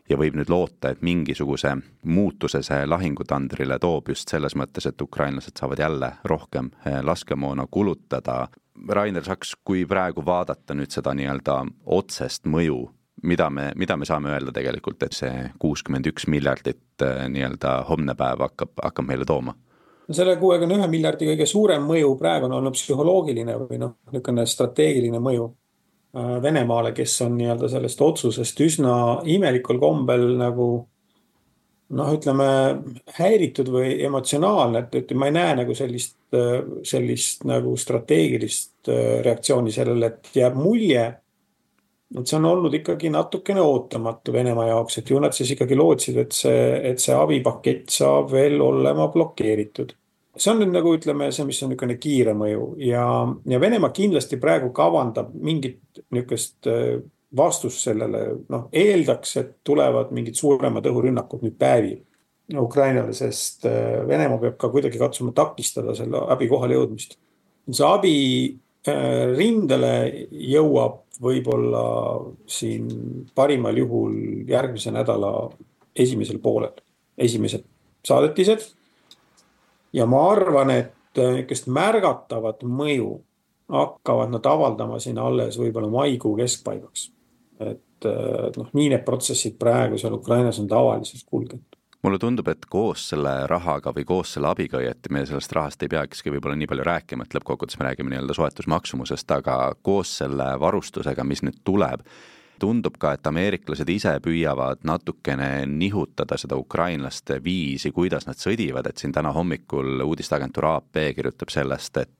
ja võib nüüd loota, et mingisuguse muutuse see lahingutandrile toob just selles mõttes, et ukrainlased saavad jälle rohkem laskemoona kulutada. Rainer Saks, kui praegu vaadata nüüd seda nii-öelda otsest mõju, mida me, mida me saame öelda tegelikult, et see kuuskümmend üks miljardit nii-öelda homne päev hakkab, hakkab meile tooma? Selle kuuekümne ühe miljardi kõige suurem mõju praegu on olnud psühholoogiline või noh, niisugune strateegiline mõju Venemaale, kes on nii-öelda sellest otsusest üsna imelikul kombel nagu noh, ütleme häiritud või emotsionaalne, et, et ma ei näe nagu sellist, sellist nagu strateegilist reaktsiooni sellele, et jääb mulje, et see on olnud ikkagi natukene ootamatu Venemaa jaoks, et ju nad siis ikkagi lootsid, et see, et see abipakett saab veel olema blokeeritud. See on nüüd nagu ütleme see, mis on niisugune kiire mõju ja, ja Venemaa kindlasti praegu kavandab mingit niisugust vastus sellele, noh, eeldaks, et tulevad mingid suuremad õhurünnakud nüüd päevi Ukrainale, sest Venemaa peab ka kuidagi katsuma takistada selle abi kohale jõudmist. See abi rindele jõuab võib-olla siin parimal juhul järgmise nädala esimesel poolel, esimesed saadetised. Ja ma arvan, et niisugust märgatavat mõju hakkavad nad avaldama siin alles võib-olla maikuu keskpaigaks. Et noh, nii need protsessid praegu seal Ukrainas on tavaliselt kulgenud. Mulle tundub, et koos selle rahaga või koos selle abiga, et me sellest rahast ei peakski võib-olla nii palju rääkima, et lõppkokkuvõttes me räägime nii-öelda soetusmaksumusest, aga koos selle varustusega, mis nüüd tuleb, tundub ka, et ameeriklased ise püüavad natukene nihutada seda ukrainlaste viisi, kuidas nad sõdivad, et siin täna hommikul uudisteagentuur A P kirjutab sellest, et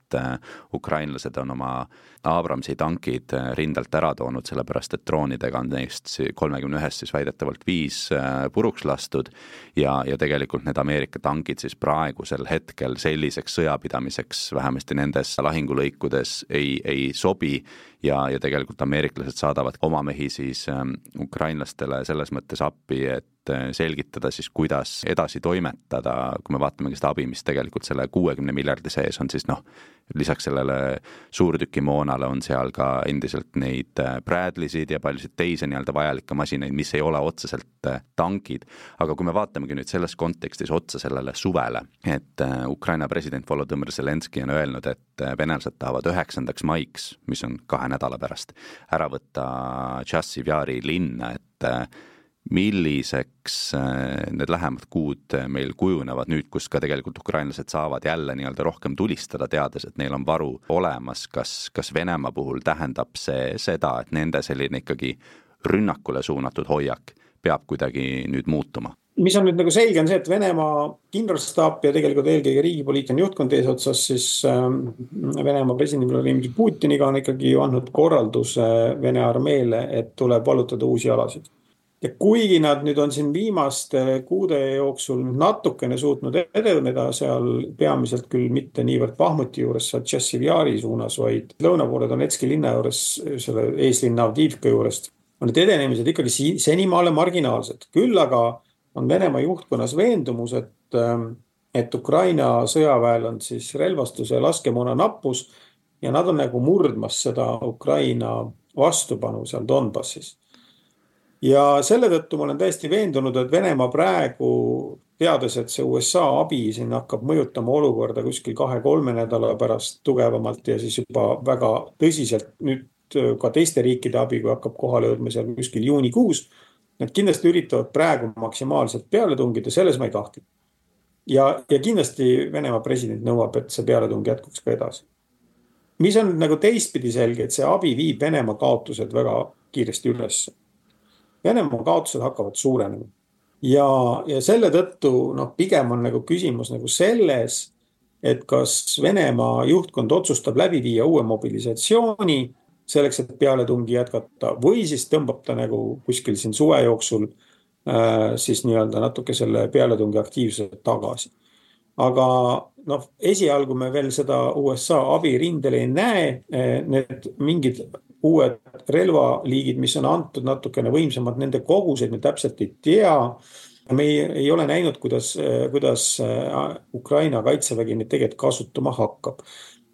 ukrainlased on oma Abramsi tankid rindelt ära toonud, sellepärast et droonidega on neist kolmekümne ühest siis väidetavalt viis puruks lastud ja, ja tegelikult need Ameerika tankid siis praegusel hetkel selliseks sõjapidamiseks vähemasti nendes lahingulõikudes ei, ei sobi ja, ja tegelikult ameeriklased saadavad oma mehi siis ukrainlastele selles mõttes appi, et selgitada siis, kuidas edasi toimetada, kui me vaatame seda abi, mis tegelikult selle kuuekümne miljardi sees on, siis noh, lisaks sellele suurtükimoonale on seal ka endiselt neid Bradleysid ja paljusid teisi nii-öelda vajalikke masinaid, mis ei ole otseselt tankid. Aga kui me vaatamegi nüüd selles kontekstis otsa sellele suvele, et Ukraina president Volodõmõr Zelenski on öelnud, et venelased tahavad üheksandaks maiks, mis on kahe nädala pärast, ära võtta Tšassiv Jari linna, et milliseks need lähemad kuud meil kujunevad nüüd, kus ka tegelikult ukrainlased saavad jälle nii-öelda rohkem tulistada, teades, et neil on varu olemas, kas, kas Venemaa puhul tähendab see seda, et nende selline ikkagi rünnakule suunatud hoiak peab kuidagi nüüd muutuma? Mis on nüüd nagu selge on see, et Venemaa kindralstaap ja tegelikult eelkõige riigipoliitiline juhtkond eesotsas siis Venemaa presidendi Vladimir Putiniga on ikkagi andnud korralduse Vene armeele, et tuleb vallutada uusi alasid. Ja kuigi nad nüüd on siin viimaste kuude jooksul natukene suutnud edeneda seal peamiselt küll mitte niivõrd Bahmuti juures, Tšassiv Jari suunas, vaid lõunapoole Donetski linna juures, selle eeslinna Avdiivka juurest, on need edenemised ikkagi senimaale marginaalsed. Küll aga on Venemaa juhtkonnas veendumus, et, et Ukraina sõjaväel on siis relvastuse ja laskemoona nappus ja nad on nagu murdmas seda Ukraina vastupanu seal Donbassis. Ja selle tõttu ma olen täiesti veendunud, et Venemaa praegu, teades, et see U S A abi siin hakkab mõjutama olukorda kuskil kahe-kolme nädala pärast tugevamalt ja siis juba väga tõsiselt nüüd ka teiste riikide abi, kui hakkab kohale jõudma seal kuskil juunikuus, need kindlasti üritavad praegu maksimaalselt peale tungida, selles ma ei kahtle. Ja, ja kindlasti Venemaa president nõuab, et see pealetung jätkuks ka edasi. Mis on nagu teistpidi selge, et see abi viib Venemaa kaotused väga kiiresti üles. Venemaa kaotused hakkavad suurenema. Ja, ja selle tõttu noh, pigem on nagu küsimus nagu selles, et kas Venemaa juhtkond otsustab läbi viia uue mobilisatsiooni selleks, et pealetungi jätkata või siis tõmbab ta nagu kuskil siin suve jooksul äh, siis nii-öelda natuke selle pealetungi aktiivselt tagasi. Aga noh, esialgu me veel seda U S A abi rindel ei näe, need mingid uued relvaliigid, mis on antud natukene võimsamad, nende kogused me täpselt ei tea. Me ei, ei ole näinud, kuidas, kuidas Ukraina kaitsevägi neid tegelikult kasutama hakkab.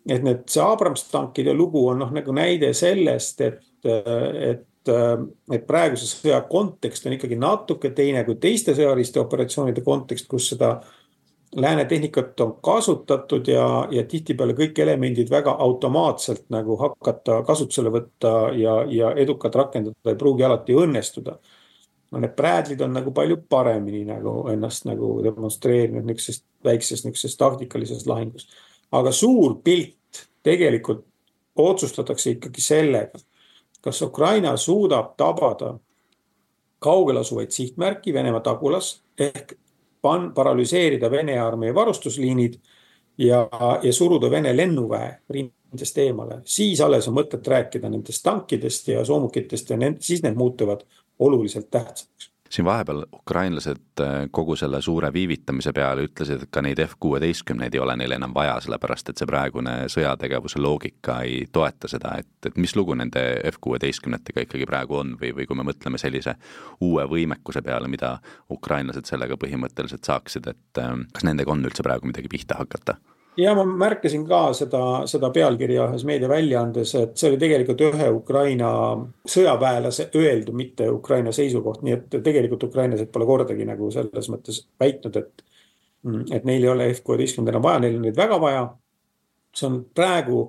Et need see Abrams-tankide lugu on noh, nagu näide sellest, et, et, et praeguse sõja kontekst on ikkagi natuke teine kui teiste sõjaliste operatsioonide kontekst, kus seda lääne tehnikat on kasutatud ja, ja tihtipeale kõik elemendid väga automaatselt nagu hakata kasutusele võtta ja, ja edukalt rakendada ei pruugi alati õnnestuda. No need Bradley'd on nagu palju paremini nagu ennast nagu demonstreerinud niisugusest väiksest niisugusest taktikalisest lahingus. Aga suur pilt tegelikult otsustatakse ikkagi sellega, kas Ukraina suudab tabada kaugel asuvaid sihtmärki Venemaa tagulas ehk pan, paralüseerida Vene armee varustusliinid ja, ja suruda Vene lennuväe rindest eemale. Siis alles on mõtet rääkida nendest tankidest ja soomukitest ja need, siis need muutuvad oluliselt tähtsaks. Siin vahepeal ukrainlased kogu selle suure viivitamise peale ütlesid, et ka neid F kuueteistkümneid ei ole neil enam vaja, sellepärast et see praegune sõjategevuse loogika ei toeta seda, et, et mis lugu nende F kuueteistkümnetega ikkagi praegu on või, või kui me mõtleme sellise uue võimekuse peale, mida ukrainlased sellega põhimõtteliselt saaksid, et kas nendega on üldse praegu midagi pihta hakata? Ja ma märkasin ka seda, seda pealkirja ühes meediaväljaandes, et see oli tegelikult ühe Ukraina sõjaväelase öeldu, mitte Ukraina seisukoht, nii et tegelikult ukrainlased pole kordagi nagu selles mõttes väitnud, et, et neil ei ole F kuueteistkümneid enam vaja, neil on neid väga vaja. See on praegu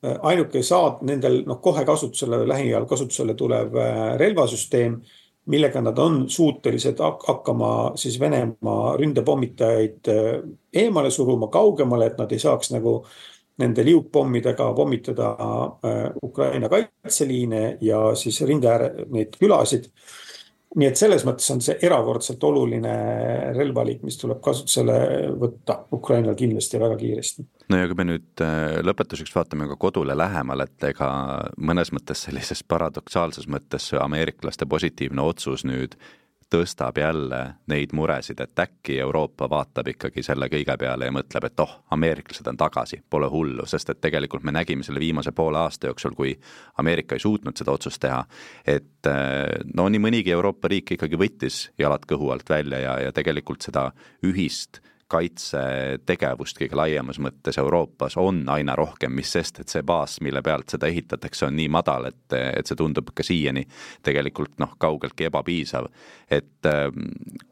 ainuke saad nendel no, kohe kasutusele, lähiajal kasutusele tulev relvasüsteem, millega nad on suutelised hakkama siis Venemaa ründepommitajaid eemale suruma kaugemale, et nad ei saaks nagu nende liukpommidega pommitada Ukraina kaitseliine ja siis rinde ääre neid külasid. Nii et selles mõttes on see erakordselt oluline relvaliik, mis tuleb kasutusele võtta Ukrainal kindlasti väga kiiresti. No ja kui me nüüd lõpetuseks vaatame ka kodule lähemal, et ega mõnes mõttes sellises paradoksaalses mõttes ameeriklaste positiivne otsus nüüd tõstab jälle neid muresid, et äkki Euroopa vaatab ikkagi selle kõige peale ja mõtleb, et oh, ameeriklased on tagasi, pole hullu, sest et tegelikult me nägime selle viimase poole aasta jooksul, kui Ameerika ei suutnud seda otsust teha, et no nii mõnigi Euroopa riik ikkagi võttis jalad kõhu alt välja ja, ja tegelikult seda ühist kaitsetegevust kõige laiemas mõttes Euroopas on aina rohkem, mis sest, et see baas, mille pealt seda ehitatakse, on nii madal, et, et see tundub ka siiani tegelikult noh, kaugeltki ebapiisav. Et äh,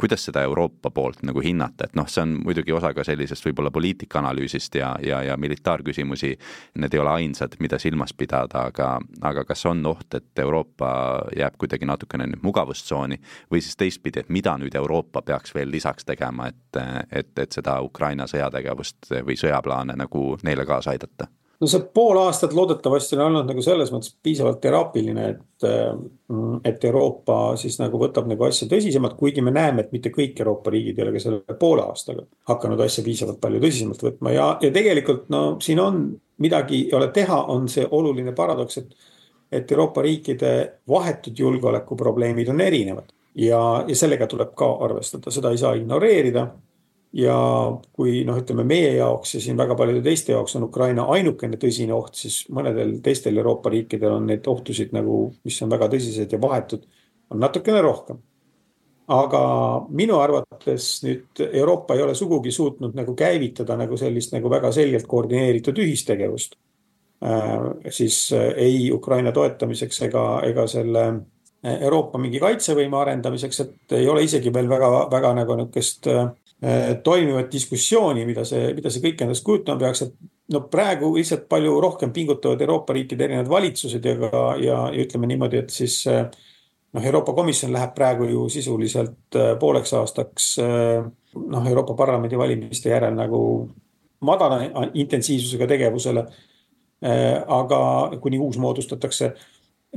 kuidas seda Euroopa poolt nagu hinnata, et noh, see on muidugi osa ka sellisest võib-olla poliitikaanalüüsist ja, ja, ja militaarküsimusi, need ei ole ainsad, mida silmas pidada, aga, aga kas on oht, et Euroopa jääb kuidagi natukene nüüd mugavustsooni või siis teistpidi, et mida nüüd Euroopa peaks veel lisaks tegema, et, et et seda Ukraina sõjategevust või sõjaplaane nagu neile kaasa aidata? No see pool aastat loodetavasti on olnud nagu selles mõttes piisavalt teraapiline, et, et Euroopa siis nagu võtab nagu asja tõsisemalt, kuigi me näeme, et mitte kõik Euroopa riigid ei ole ka selle poole aastaga hakanud asja piisavalt palju tõsisemalt võtma ja, ja tegelikult no siin on midagi ei ole teha, on see oluline paradoks, et, et Euroopa riikide vahetud julgeolekuprobleemid on erinevad ja, ja sellega tuleb ka arvestada, seda ei saa ignoreerida. Ja kui noh, ütleme meie jaoks ja siin väga paljude teiste jaoks on Ukraina ainukene tõsine oht, siis mõnedel teistel Euroopa riikidel on neid ohtusid nagu, mis on väga tõsised ja vahetud, on natukene rohkem. Aga minu arvates nüüd Euroopa ei ole sugugi suutnud nagu käivitada nagu sellist nagu väga selgelt koordineeritud ühistegevust. Äh, siis ei Ukraina toetamiseks ega, ega selle Euroopa mingi kaitsevõime arendamiseks, et ei ole isegi veel väga, väga nagu nükest toimivat diskussiooni, mida see, mida see kõik endast kujutama peaks, et no praegu lihtsalt palju rohkem pingutavad Euroopa riikide erinevad valitsused ja, ja, ja ütleme niimoodi, et siis noh, Euroopa Komisjon läheb praegu ju sisuliselt pooleks aastaks noh, Euroopa Parlamendi valimiste järel nagu madala intensiivsusega tegevusele, aga kuni uus moodustatakse.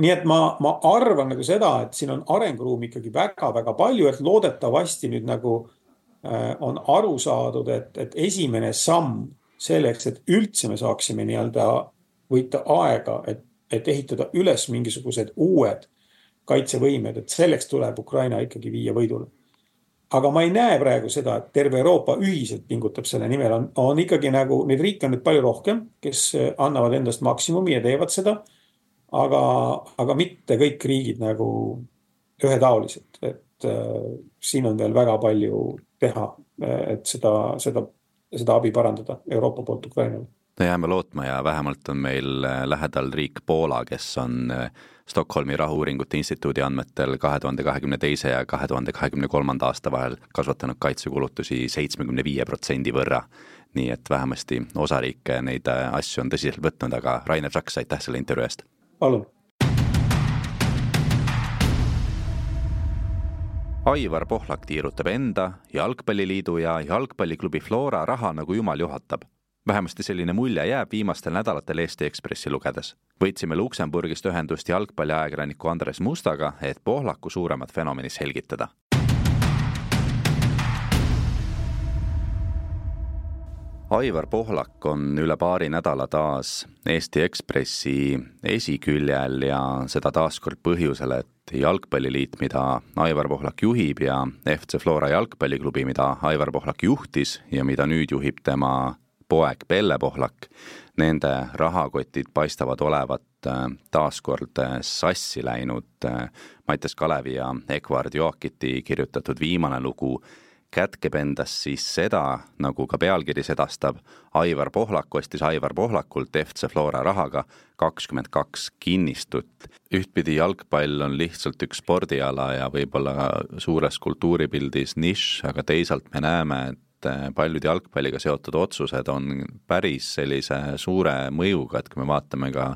Nii et ma, ma arvan nagu seda, et siin on arenguruumi ikkagi väga, väga palju, et loodetavasti nüüd nagu on aru saadud, et, et esimene samm selleks, et üldse me saaksime nii-öelda võita aega, et, et ehitada üles mingisugused uued kaitsevõimed, et selleks tuleb Ukraina ikkagi viia võidule. Aga ma ei näe praegu seda, et terve Euroopa ühiselt pingutab selle nimel. On, on ikkagi nagu, neid riike on nüüd palju rohkem, kes annavad endast maksimumi ja teevad seda, aga, aga mitte kõik riigid nagu ühetaoliselt, et äh, siin on veel väga palju teha, et seda, seda, seda abi parandada Euroopa poolt Ukrainale. No jääme lootma ja vähemalt on meil lähedal riik Poola, kes on Stockholmi rahu-uuringute instituudi andmetel kahe tuhande kahekümne teise ja kahe tuhande kahekümne kolmanda aasta vahel kasvatanud kaitsekulutusi seitsekümmend viis protsenti võrra. Nii et vähemasti osariike neid asju on tõsiselt võtnud, aga Rainer Saks, aitäh selle intervjuu eest. Palun. Aivar Pohlak tiirutab enda, jalgpalliliidu ja jalgpalliklubi Flora raha nagu jumal juhatab. Vähemasti selline mulje jääb viimastel nädalatel Eesti Ekspressi lugedes. Võitsime Luksemburgist ühendust jalgpalliajakirjaniku Andres Mustaga, et Pohlaku suuremat fenomeni selgitada. Aivar Pohlak on üle paari nädala taas Eesti Ekspressi esiküljel ja seda taaskord põhjusel, et jalgpalliliit, mida Aivar Pohlak juhib ja F C Flora jalgpalliklubi, mida Aivar Pohlak juhtis ja mida nüüd juhib tema poeg Pelle Pohlak, nende rahakotid paistavad olevat taaskord sassi läinud. Mattias Kalevi ja Ekvard Joakiti kirjutatud viimane lugu kätkeb endas siis seda, nagu ka pealkiri sedastab, Aivar Pohlak ostis Aivar Pohlakult F C Flora rahaga kakskümmend kaks kinnistut. Ühtpidi jalgpall on lihtsalt üks spordiala ja võib-olla suures kultuuripildis nišš, aga teisalt me näeme, et paljud jalgpalliga seotud otsused on päris sellise suure mõjuga, et kui me vaatame ka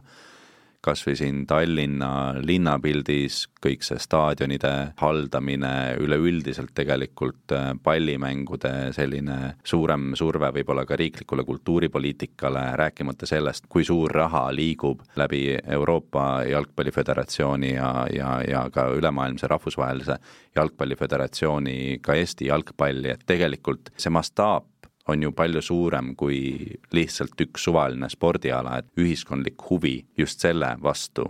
kas või siin Tallinna linnapildis kõik see staadionide haldamine, üleüldiselt tegelikult pallimängude selline suurem surve võib-olla ka riiklikule kultuuripoliitikale, rääkimata sellest, kui suur raha liigub läbi Euroopa jalgpalliföderatsiooni ja, ja, ja ka ülemaailmse rahvusvahelise jalgpalliföderatsiooni ka Eesti jalgpalli, et tegelikult see mastaap on ju palju suurem kui lihtsalt üks suvaline spordiala, et ühiskondlik huvi just selle vastu,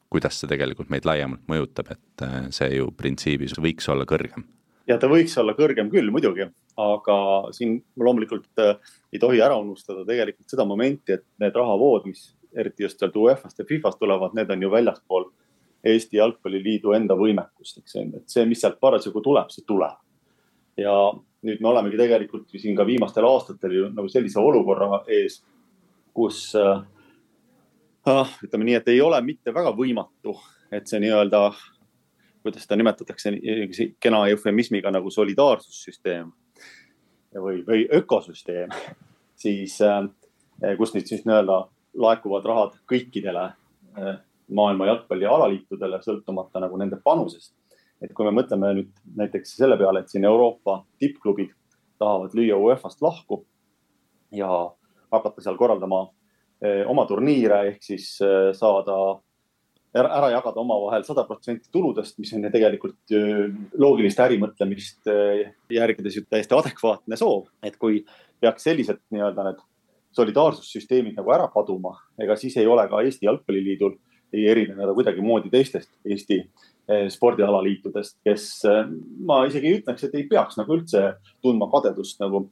kuidas see tegelikult meid laiemalt mõjutab, et see ju printsiibis võiks olla kõrgem. Ja ta võiks olla kõrgem küll muidugi, aga siin loomulikult ei tohi ära unustada tegelikult seda momenti, et need rahavood, mis eriti just sealt U E F-ast ja FIFast tulevad, need on ju väljaspool Eesti Jalgpalliliidu enda võimekust, eks, et see, mis sealt parasjagu tuleb, see tuleb. Ja nüüd me olemegi tegelikult siin ka viimastel aastatel ju nagu sellise olukorra ees, kus äh, ütleme nii, et ei ole mitte väga võimatu, et see nii-öelda, kuidas seda nimetatakse kena eufemismiga nagu solidaarsussüsteem või, või ökosüsteem, siis äh, kus nüüd siis nii-öelda laekuvad rahad kõikidele äh, maailma jalgpalli alaliitudele sõltumata nagu nende panusest. Et kui me mõtleme nüüd näiteks selle peale, et siin Euroopa tippklubid tahavad lüüa U E F-ast lahku ja hakata seal korraldama oma turniire, ehk siis saada, ära jagada oma vahel sada protsenti tuludest, mis on tegelikult loogilist ärimõtlemist järgides ju täiesti adekvaatne soov. Et kui peaks sellised nii-öelda need solidaarsussüsteemid nagu ära kaduma, ega siis ei ole ka Eesti Jalgpalliliidul ei erineda kuidagi moodi teistest Eesti spordialaliitudest, kes ma isegi ütleks, et ei peaks nagu üldse tundma kadedust nagu,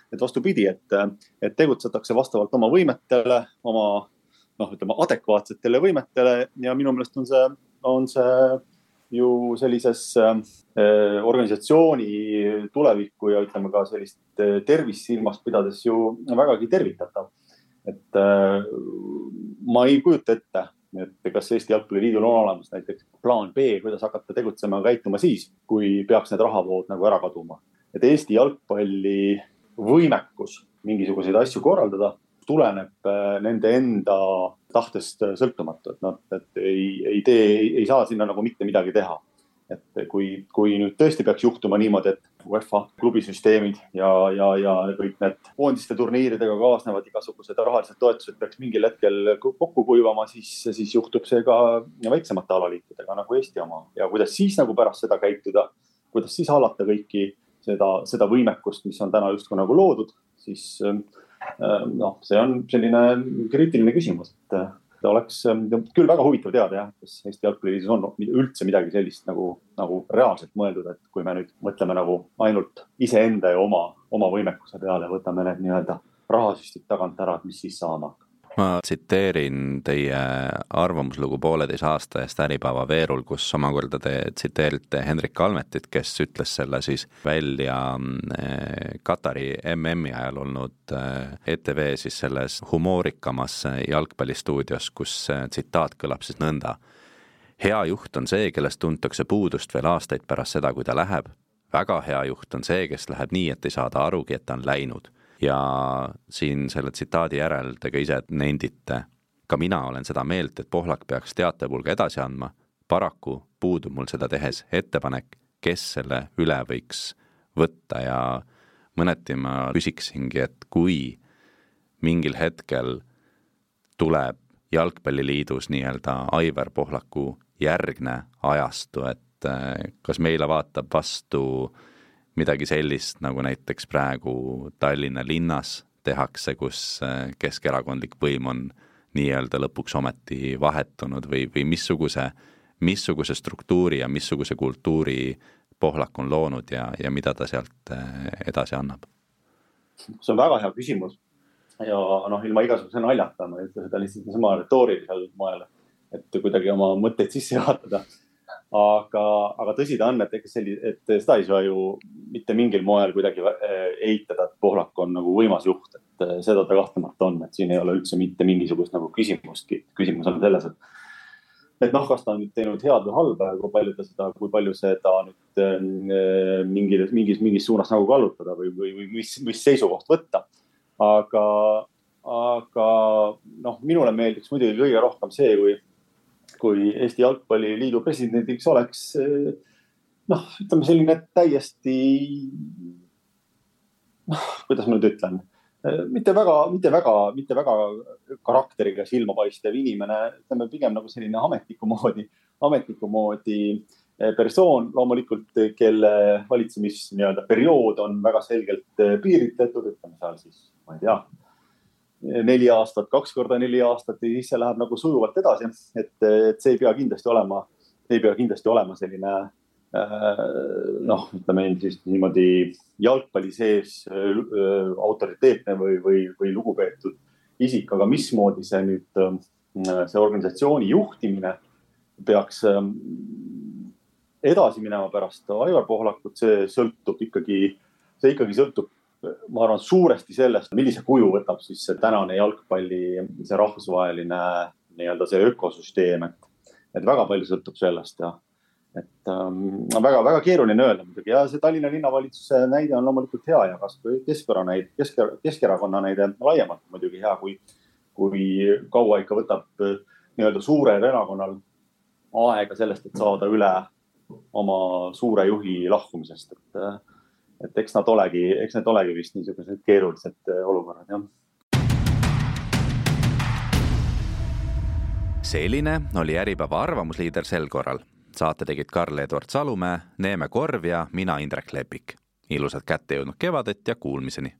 et vastupidi, et, et tegutsetakse vastavalt oma võimetele, oma, noh, ütleme, adekvaatsetele võimetele ja minu meelest on see, on see ju sellises eh, organisatsiooni tulevikku ja ütleme ka sellist tervist silmast pidades ju vägagi tervitatav. Et eh, ma ei kujuta ette, et kas Eesti Jalgpalliliidul on olemas näiteks plaan B, kuidas hakata tegutsema ja käituma siis, kui peaks need rahavood nagu ära kaduma. Et Eesti jalgpalli võimekus mingisuguseid asju korraldada tuleneb nende enda tahtest sõltumatu, et, no, et ei, ei, tee, ei saa sinna nagu mitte midagi teha. Et kui, kui nüüd tõesti peaks juhtuma niimoodi, et UEFA klubisüsteemid ja, ja, ja kõik need koondiste turniiridega kaasnevad igasugused rahalised toetused peaks mingil hetkel kokku kuivama, siis, siis juhtub see ka väiksemate alaliitudega nagu Eesti oma. Ja kuidas siis nagu pärast seda käituda, kuidas siis hallata kõiki seda, seda võimekust, mis on täna justkui nagu loodud, siis noh, see on selline kriitiline küsimus, et ta oleks küll väga huvitav teada, jah, kas Eesti Jalgpalliliidus on üldse midagi sellist nagu, nagu reaalselt mõeldud, et kui me nüüd mõtleme nagu ainult iseenda ja oma, oma võimekuse peale, võtame need nii-öelda rahasüstid tagant ära, et mis siis saama. Ma tsiteerin teie arvamuslugu pooleteise aasta eest Äripäeva Veerul, kus omakorda te tsiteerite Hendrik Kalmetit, kes ütles selle siis välja Katari M M-i ajal olnud E T V siis selles humoorikamas jalgpallistuudios, kus tsitaat kõlab siis nõnda. Hea juht on see, kellest tuntakse puudust veel aastaid pärast seda, kui ta läheb. Väga hea juht on see, kes läheb nii, et ei saada arugi, et ta on läinud. Ja siin selle tsitaadi järel te ka ise nendite. Ka mina olen seda meelt, et Pohlak peaks teatepulga edasi andma. Paraku puudub mul seda tehes ettepanek, kes selle üle võiks võtta ja mõneti ma küsiksingi, et kui mingil hetkel tuleb Jalgpalliliidus nii-öelda Aivar Pohlaku järgne ajastu, et kas meile vaatab vastu midagi sellist, nagu näiteks praegu Tallinna linnas tehakse, kus keskerakondlik võim on nii-öelda lõpuks ometi vahetunud või, või missuguse, missuguse struktuuri ja missuguse kultuuri Pohlak on loonud ja, ja mida ta sealt edasi annab? See on väga hea küsimus ja noh, ilma igasuguse naljata, ma ei ütle seda lihtsalt sama retoorilisel moel, et kuidagi oma mõtteid sisse juhatada. Aga, aga tõsi ta on, et, selli, et seda ei saa ju mitte mingil moel kuidagi eitada, et Pohlak on nagu võimas juht, et seda ta kahtlemata on, et siin ei ole üldse mitte mingisugust nagu küsimustki. Küsimus on selles, et et noh, kas ta on nüüd teinud head või halba, kui palju ta seda, kui palju seda nüüd mingis, mingis, mingis suunas nagu kallutada või, või, või mis, mis seisukoht võtta. Aga, aga noh, minule meeldiks muidugi kõige rohkem see, kui, kui Eesti Jalgpalliliidu presidendiks oleks noh, ütleme selline täiesti noh, kuidas ma nüüd ütlen, mitte väga, mitte väga, mitte väga karakteriga silmapaistev inimene, ütleme pigem nagu selline ametniku moodi, ametniku moodi persoon, loomulikult, kelle valitsemis nii-öelda periood on väga selgelt piiritletud, ütleme seal siis, ma ei tea, neli aastat, kaks korda neli aastat ja siis see läheb nagu sujuvalt edasi, et, et see ei pea kindlasti olema, ei pea kindlasti olema selline noh, ütleme siis niimoodi jalgpalli sees autoriteetne või, või, või lugupeetud isik, aga mismoodi see nüüd, see organisatsiooni juhtimine peaks edasi minema pärast Aivar Pohlakut, see sõltub ikkagi, see ikkagi sõltub, ma arvan, suuresti sellest, millise kuju võtab siis see tänane jalgpalli, see rahvusvaheline nii-öelda see ökosüsteem, et, et väga palju sõltub sellest ja et ähm, väga, väga keeruline öelda muidugi ja see Tallinna linnavalitsuse näide on loomulikult hea ja kas või Keskerakonna näide, Kesker, Keskerakonna näide laiemalt muidugi hea, kui, kui kaua ikka võtab nii-öelda suurel erakonnal aega sellest, et saada üle oma suure juhi lahkumisest, et, et eks nad olegi, eks need olegi vist niisugused keerulised olukorrad, jah. Selline oli Äripäeva arvamusliider sel korral. Saate tegid Karl-Edward Salumäe, Neeme Korv ja mina Indrek Lepik. Ilusat kätte jõudnud kevadet ja kuulmiseni!